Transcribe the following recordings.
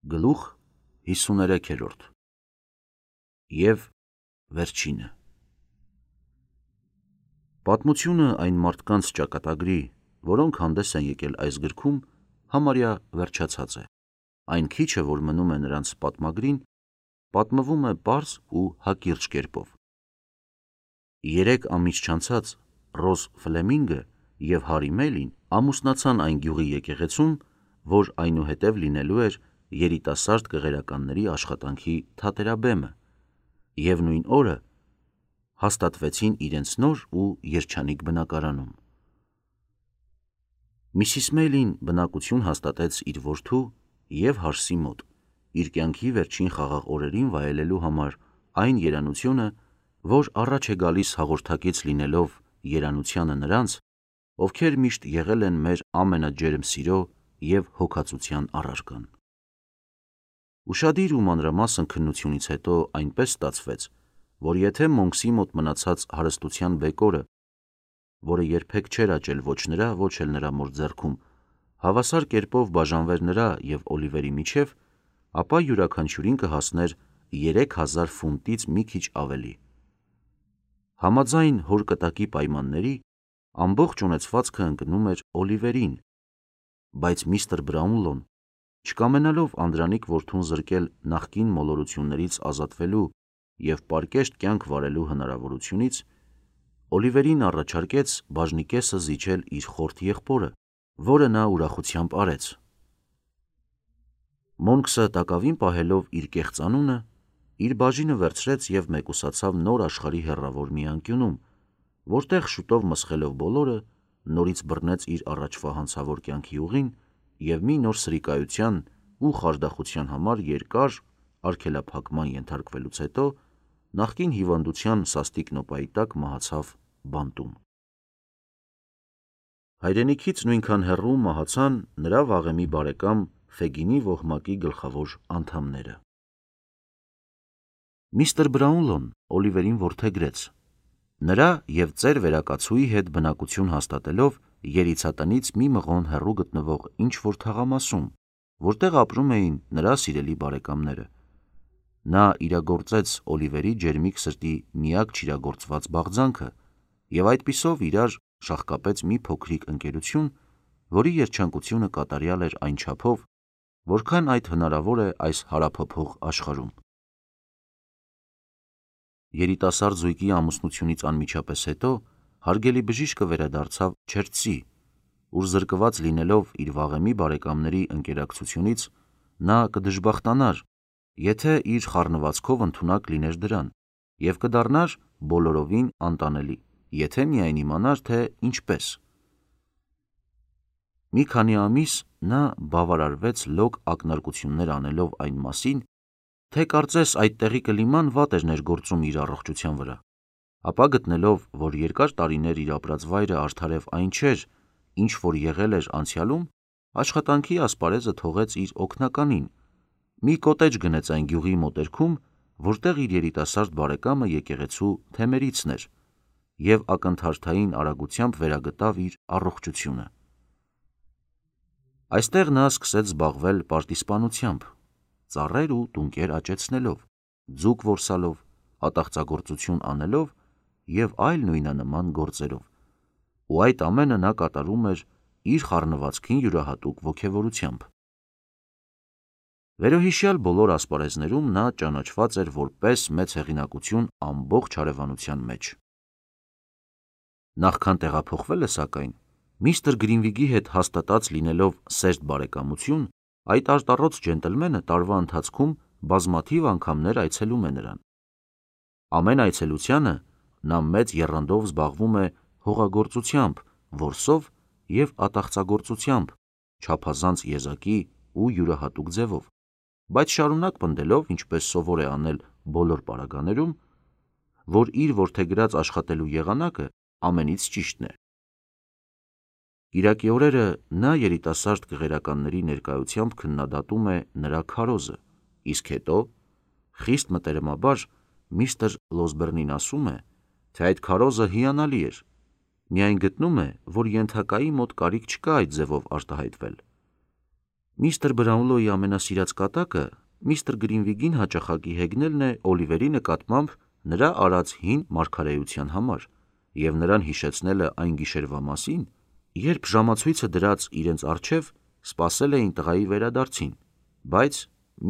Գլուխ 53 և վերջինը։ Պատմությունը այն մարդկանց ճակատագրի, որոնք հանդես են եկել այս գրքում, համարյա վերջացած է։ Այն քիչը, որ մնում է նրանց պատմագրին, պատմվում է պարզ ու հակիրճ կերպով։ 3 ամիս չանցած Ռոզ Ֆլեմինգը և Հարի Մելին ամուսնացան այն գյուղի եկեղեցում, որ այնուհետև լինելու էր երիտասարդ կղերականների աշխատանքի թատերաբեմը, և նույն օրը հաստատվեցին իրենց նոր ու երջանիկ բնակարանում։ Միսիս Մեյլին բնակություն հաստատեց իր որդու և Հարսի մոտ, իր կյանքի վերջին խաղաղ օրերին վայելելու համար այն երանությունը, որ առաջ է գալիս հաղորդակից լինելով երանությանը նրանց, ովքեր միշտ եղել են մեր ամենաջերմ սիրո և հոգածության առարկան։ Ուշադիր ու մանրամասն քննությունից հետո այնպես ստացվեց, որ եթե Մոնքսի մոտ մնացած հարստության բեկորը, որը երբեք չէր աճել ոչ նրա, ոչ էլ նրա մոր ձեռքում, հավասար կերպով բաժանվեր նրա և Օլիվերի միջև, ապա յուրաքանչյուրին կհասներ 3000 ֆունտից մի քիչ ավելի։ Համաձայն հոր կտակի պայմանների, ամբողջ ունեցվածքը ընկնում էր Օլիվերին, բայց միստր Բրաունլոն, չկամենալով Անդրանիկ որդուն զրկել նախկին մոլորություններից ազատվելու և պարկեշտ կյանք վարելու հնարավորությունից, Օլիվերին առաջարկեց բաժնի կեսը զիջել իր խորթ եղբորը, որը նա ուրախությամբ արեց։ Մոնքսը տակավին պահելով իր կեղծ անունը, իր բաժինը վերցրեց և մեկուսացավ նոր աշխարհի հեռավոր մի անկյունում, որտեղ շուտով մսխելով բոլորը, նորից բռնեց իր առաջվա հանցավոր կյանքի ուղին և մի նոր սրիկայության ու խարդախության համար երկար արգելափակման ենթարկվելուց հետո նախկին հիվանդության սաստիկ նոպայի տակ մահացավ բանտում։ Հայրենիքից նույնքան հեռու մահացան նրա վաղեմի բարեկամ Ֆեգինի ոհմակի գլխավոր անդամները։ Միստր Բրաունլոն Օլիվերին որդեգրեց։ Նրա և ծեր վերակացուի հետ բնակություն հաստատելով երիցատնից մի մղոն հեռու գտնվող ինչ-որ թաղամասում, որտեղ ապրում էին նրա սիրելի բարեկամները, նա իրագործեց Օլիվերի ջերմիկ սրտի միակ չիրագործված բաղձանքը և այդպիսով իրար շաղկապեց մի փոքրիկ ընկերություն, որի երջանկությունը կատարյալ էր այն չափով, որքան այդ հնարավոր է այս հարափոփող աշխարհում։ Երիտասարդ զույգի ամուսնությունից անմիջապես հետո հարգելի բժիշկը վերադարձավ Չերթսի, ուր զրկված լինելով իր վաղեմի բարեկամների ընկերակցությունից, նա կդժբախտանար, եթե իր խառնվածքով ընդունակ լիներ դրան, և կդառնար բոլորովին անտանելի, եթե միայն իմանար, թե ինչպես։ Մի քանի ամիս նա բավարարվեց լոկ ակնարկություններ անելով այն մասին, թե կարծես այդտեղի կլիման վատ էր ներգործում իր առողջության վրա, ապա գտնելով, որ երկար տարիներ իր ապրած վայրը արդարև այն չէր, ինչ որ եղել էր անցյալում, աշխատանքի ասպարեզը թողեց իր օգնականին, մի կոտեջ գնեց այն գյուղի մոտերքում, որտեղ իր երիտասարդ բարեկամը եկեղեցու թեմերիցն էր, և ակնթարթային արագությամբ վերագտավ իր առողջությունը։ Այստեղ նա սկսեց զբաղվել պարտիզպանությամբ, ծառեր ու տունկեր աճեցնելով, ձուկ որսալով, ատաղծագործություն անելով և այլ նույնանման գործերով, ու այդ ամենը նա կատարում էր իր խառնվածքին յուրահատուկ ոգևորությամբ։ Վերոհիշյալ բոլոր ասպարեզներում նա ճանաչված էր որպես մեծ հեղինակություն ամբողջ հարևանության մեջ։ Նախքան տեղափոխվելը, սակայն, միստր Գրինվիգի հետ հաստատած լինելով սերտ բարեկամություն, այդ արտառոց ջենտլմենը տարվա ընթացքում բազմաթիվ անգամներ այցելում է նրան։ Ամեն այցելությանը նա մեծ եռանդով զբաղվում է հողագործությամբ, որսով և ատաղծագործությամբ, չափազանց եզակի ու յուրահատուկ ձևով, բայց շարունակ պնդելով, ինչպես սովոր է անել բոլոր պարագաներում, որ իր որդեգրած աշխատելու եղանակը ամենից ճիշտն է։ Կիրակի օրերը նա երիտասարդ կղերականների ներկայությամբ քննադատում է նրա քարոզը, իսկ հետո, խիստ մտերմաբար, միստր Լոսբերնին ասում է, թե այդ քարոզը հիանալի էր, միայն գտնում է, որ ենթակայի մոտ կարիք չկա այդ ձևով արտահայտվել։ Միստր Բրաունլոյի ամենասիրած կատակը միստր Գրինվիգին հաճախակի հեգնելն է Օլիվերի նկատմամբ նրա արած հին մարգարեության համար և նրան հիշեցնելը այն գիշերվա մասին, երբ ժամացույցը դրած իրենց առջև սպասել էին տղայի վերադարձին, բայց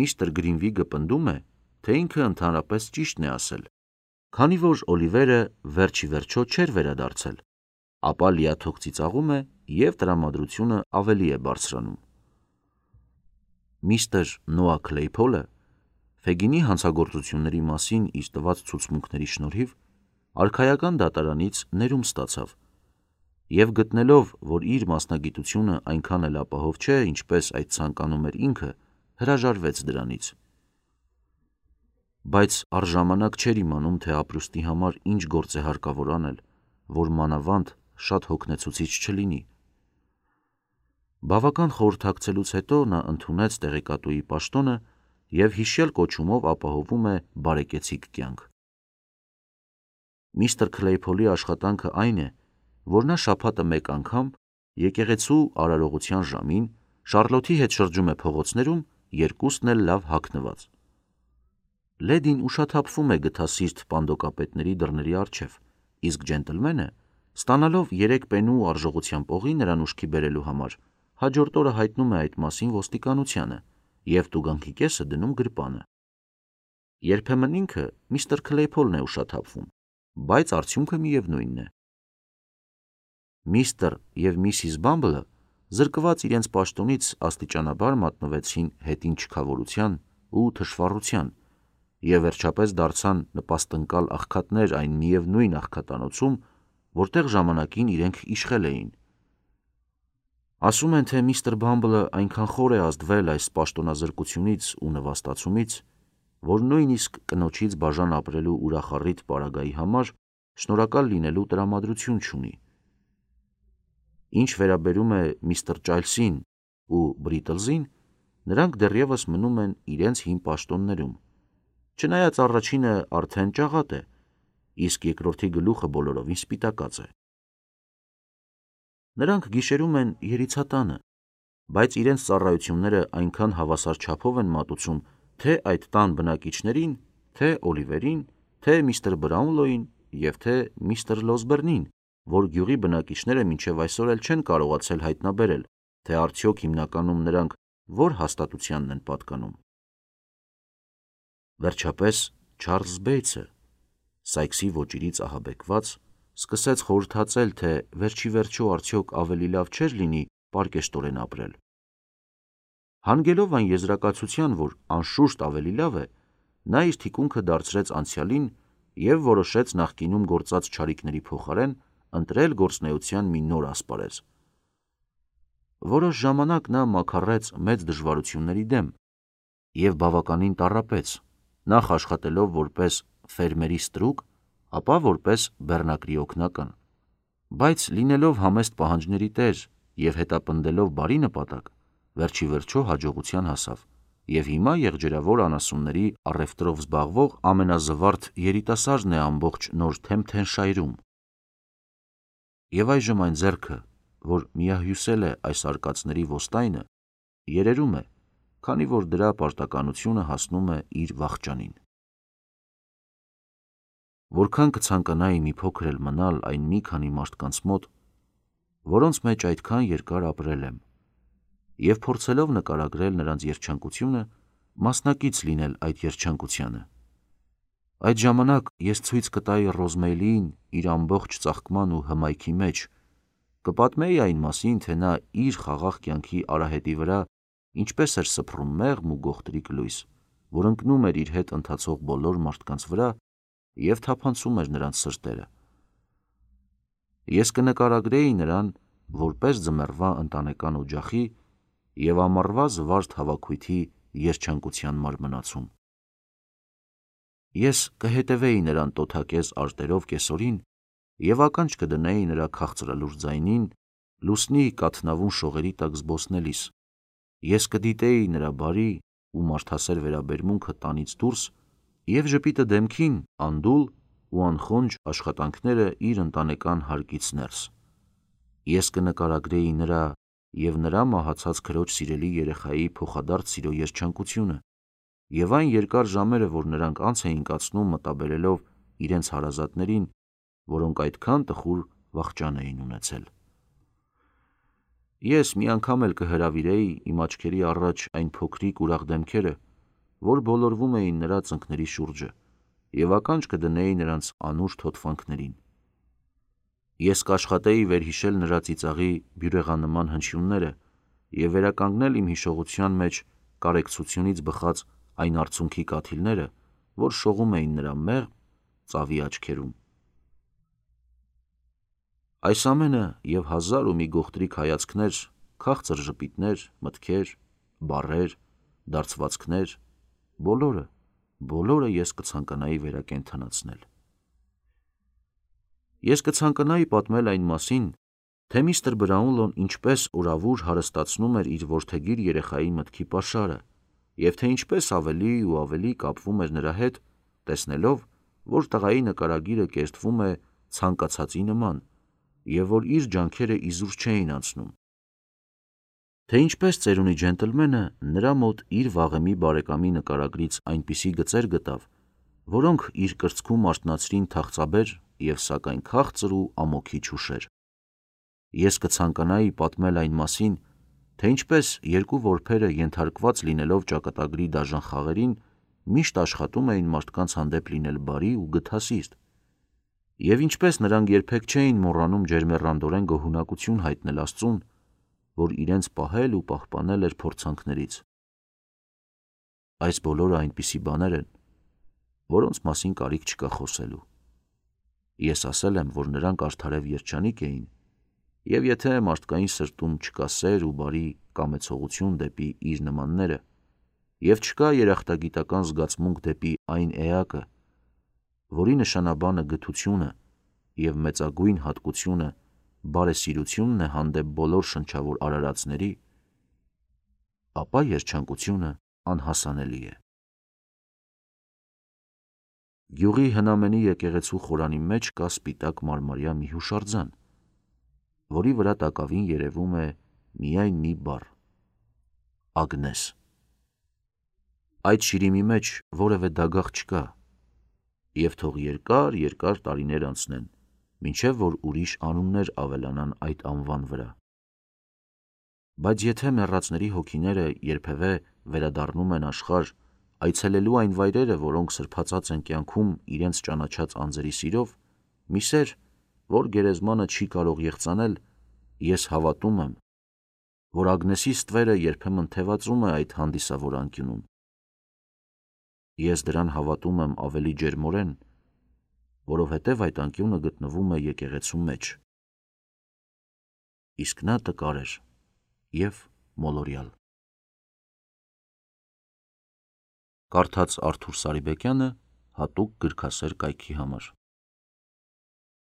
միստր Գրինվիգը պնդում է, թե ինքը ընդհանրապես ճիշտն է ասել, քանի որ Օլիվերը վերջիվերջո չէր վերադարձել, ապա լիաթոք ծիծաղում է և տրամադրությունը ավելի է բարձրանում։ Միստր Նոա Քլեյփոլը Ֆեգինի հանցագործությունների մասին իր տված ցուցմունքների շնորհիվ արքայական դատարանից ներում ստացավ և գտնելով, որ իր մասնագիտությունը այնքան էլ ապահով չէ, ինչպես այդ ցանկանում էր ինքը, հրաժարվեց դրանից։ Բայց առժամանակ չէր իմանում, թե ապրուստի համար ինչ գործ է հարկավոր անել, որ մանավանդ շատ հոգնեցուցիչ չլինի։ Բավական խորհրդակցելուց հետո նա ընդունեց տեղեկատուի պաշտոնը և հիշյալ կոչումով ապահովում է բարեկեցիկ կյանք։ Միստր Քլեյփոլի աշխատանքը այն է, որ նա շաբաթը մեկ անգամ եկեղեցու արարողության ժամին Շառլոթի հետ շրջում է փողոցներում, երկուսն էլ լավ հագնված։ Լեդին ուշաթափվում է գթասիրտ պանդոկապետների դռների առջև, իսկ ջենտլմենը, ստանալով 3 պենու արժողությամբ օղի նրան ուշքի բերելու համար, հաջորդ օրը հայտնում է այդ մասին ոստիկանությանը և տուգանքի կեսը դնում գրպանը։ Երբեմն ինքը միստր Քլեյփոլն է ուշաթափվում, բայց արդյունքը միևնույնն է։ Միստր և Միսիս Բամբլը զրկված իրենց պաշտոնից աստիճանաբար մատնվեցին հետին չքավորության ու թշվառության և վերջապես դարձան նպաստընկալ աղքատներ այն միևնույն աղքատանոցում, որտեղ ժամանակին իրենք իշխել էին։ Ասում են, թե միստր Բամբլը այնքան խոր է ազդվել այս պաշտոնազրկությունից ու նվաստացումից, որ նույնիսկ կնոջից բաժան ապրելու ուրախառիթ պարագայի համար շնորհակալ լինելու տրամադրություն չունի։ Ինչ վերաբերում է միստր Ճայլսին ու Բրիտլզին, նրանք դեռևս մնում են իրենց հին պաշտոններում, չնայած առաջինը արդեն ճաղատ է, իսկ երկրորդի գլուխը բոլորովին սպիտակած է։ Նրանք գիշերում են երիցատանը, բայց իրենց ծառայությունները այնքան հավասար չափով են մատուցում թե այդ տան բնակիչներին, թե Օլիվերին, թե միստր Բրաունլոյին և թե միստր Լոսբերնին, որ գյուղի բնակիչները մինչև այսօր էլ չեն կարողացել հայտնաբերել, թե արդյոք հիմնականում նրանք որ հաստատությանն են պատկանում։ Վերջապես Չարլզ Բեյցը, Սայքսի ոճիրից ահաբեկված, սկսեց խորհրդածել, թե վերջիվերջո արդյոք ավելի լավ չէր լինի պարկեշտորեն ապրել։ Հանգելով այն եզրակացության, որ անշուշտ ավելի լավ է, նա իր թիկունքը դարձրեց անցյալին և որոշեց նախկինում գործած չարիքների փոխարեն ընտրել գործունեության մի նոր ասպարեզ։ Որոշ ժամանակ նա մաքարեց մեծ դժվարությունների դեմ և բավականին տառապեց, նախ աշխատելով որպես ֆերմերի ստրուկ, ապա որպես բեռնակրի օգնական, բայց լինելով համեստ պահանջների տեր և հետապնդելով բարի նպատակ, վերջիվերջո հաջողության հասավ և հիմա եղջերավոր անասունների առևտրով զբաղվող ամենազվարթ երիտասարդն է ամբողջ Նորթեմփթենշայրում։ Եվ այժմ այն ձեռքը, որ միահյուսել է այս արկածների ոստայնը, երերում է, քանի որ դրա պարտականությունը հասնում է իր վախճանին։ Որքան կցանկանայի մի փոքր էլ մնալ այն մի քանի մարդկանց մոտ, որոնց մեջ այդքան երկար ապրել եմ, և փորձելով նկարագրել նրանց երջանկությունը, մասնակից լինել այդ երջանկությանը։ Այդ ժամանակ ես ցույց կտայի Ռոզմեյլիին իր ամբողջ ծաղկման ու հմայքի մեջ, կպատմեի այն մասին, թե նա իր խաղաղ կյանքի արահետի վրա ինչպես էր սփռում մեղմ ու գողտրիկ լույս, որ ընկնում էր իր հետ ընթացող բոլոր մարդկանց վրա և թափանցում էր նրանց սրտերը։ Ես կնկարագրեի նրան որպես ձմեռվա ընտանեկան օջախի և ամառվա զվարթ հավաքույթի երջանկության մարմնացում։ Ես կհետևեի նրան տոթակեզ արտերով կեսօրին և ականջ կդնեի նրա քաղցրալուր ձայնին լուսնի կաթնավուն շողերի տակ զբոսնելիս, ես կդիտեի նրա բարի ու մարդասեր վերաբերմունքը տանից դուրս և ժպիտը դեմքին անդուլ ու անխոնջ աշխատանքները իր ընտանեկան հարկից ներս։ Ես կնկարագրեի նրա և նրա մահացած քրոջ սիրելի երեխայի փոխադարձ սիրո երջանկությունը, և այն երկար ժամերը, որ նրանք անց էին կացնում մտաբերելով իրենց հարազատներին, որոնք այդքան տխուր վախճան էին ունեցել։ Ես մի անգամ էլ կհրավիրեի իմ աչքերի առաջ այն փոքրիկ ուրախ դեմքերը, որ բոլորվում էին նրա ծնկների շուրջը, և ականջ կդնեի նրանց անուշ թոթվանքներին։ Ես կաշխատեի վերհիշել նրա ծիծաղի բյուրեղանման հնչյունները և վերականգնել իմ հիշողության մեջ կարեկցությունից բխած այն արցունքի կաթիլները, որ շողում էին նրա մեղմ, ծավի աչքերում։ Այս ամենը և հազար ու մի գողտրիկ հայացքներ, քաղցր ժպիտներ, մտքեր, բառեր, դարձվածքներ, բոլորը ես կցանկանայի վերակենդանացնել։ Ես կցանկանայի պատմել այն մասին, թե միստր Բրաունլոն ինչպես օրավուր հարստացնում էր իր որդեգիր երեխայի մտքի պաշարը, և թե ինչպես ավելի ու ավելի կապվում էր նրա հետ, տեսնելով, որ տղայի նկարագիրը կերտվում է ցանկացածի նման, և որ իր ջանքերը իզուր չէին անցնում, թե ինչպես ծերունի ջենտլմենը նրա մոտ իր վաղեմի բարեկամի նկարագրից այնպիսի գծեր գտավ, որոնք իր կրծքում արթնացրին թախծաբեր և սակայն քաղցր ու ամոթիչ հուշեր։ Ես կցանկանայի պատմել այն մասին, թե ինչպես երկու որբերը ենթարկված լինելով ճակատագրի դաժան խաղերին, միշտ աշխատում էին մարդկանց հանդեպ լինել բարի ու գթասիրտ, և ինչպես նրանք երբեք չէին մոռանում ջերմեռանդորեն գոհունակություն հայտնել Աստծուն, որ իրենց պահել ու պահպանել էր փորձանքներից։ Այս բոլորը այնպիսի բաներ են, որոնց մասին կարիք չկա խոսելու։ Ես ասել եմ, որ նրանք արդարև երջանիկ էին, և եթե մարդկային սրտում չկա սեր ու բարի կամեցողություն դեպի իր նմանները, և չկա երախտագիտական զգացմունք դեպի այն էակը, որի նշանաբանը գթությունը և մեծագույն հատկությունը բարեսիրությունն է հանդեպ բոլոր շնչավոր արարածների, ապա երջանկությունը անհասանելի է։ Գյուղի հնամենի եկեղեցու խորանի մեջ կա սպիտակ մարմարյա մի հուշարձան, որի վրա տակավին երևում է միայն մի բառ՝ Ագնես։ Այդ շիրիմի մեջ որևէ դագաղ չկա, և թող երկար տարիներ անցնեն, մինչև որ ուրիշ անուններ ավելանան այդ անվան վրա։ Բայց եթե մեռածների հոգիները երբևէ վերադառնում են աշխարհ, այցելելու այն վայրերը, որոնք սրբացած են կյանքում իրենց ճանաչած անձերի սիրով, մի սեր, որ գերեզմանը չի կարող եղծանել, ես հավատում եմ, որ Ագնեսի ստվերը երբեմն թևածում է այդ հանդիսավոր անկյունում։ Ես դրան հավատում եմ ավելի ջերմորեն, որովհետև այդ անկյունը գտնվում է եկեղեցու մեջ, իսկ նա տկար էր և մոլորյալ։ Կարդաց Արթուր Սարիբեկյանը հատուկ գրքասեր կայքի համար։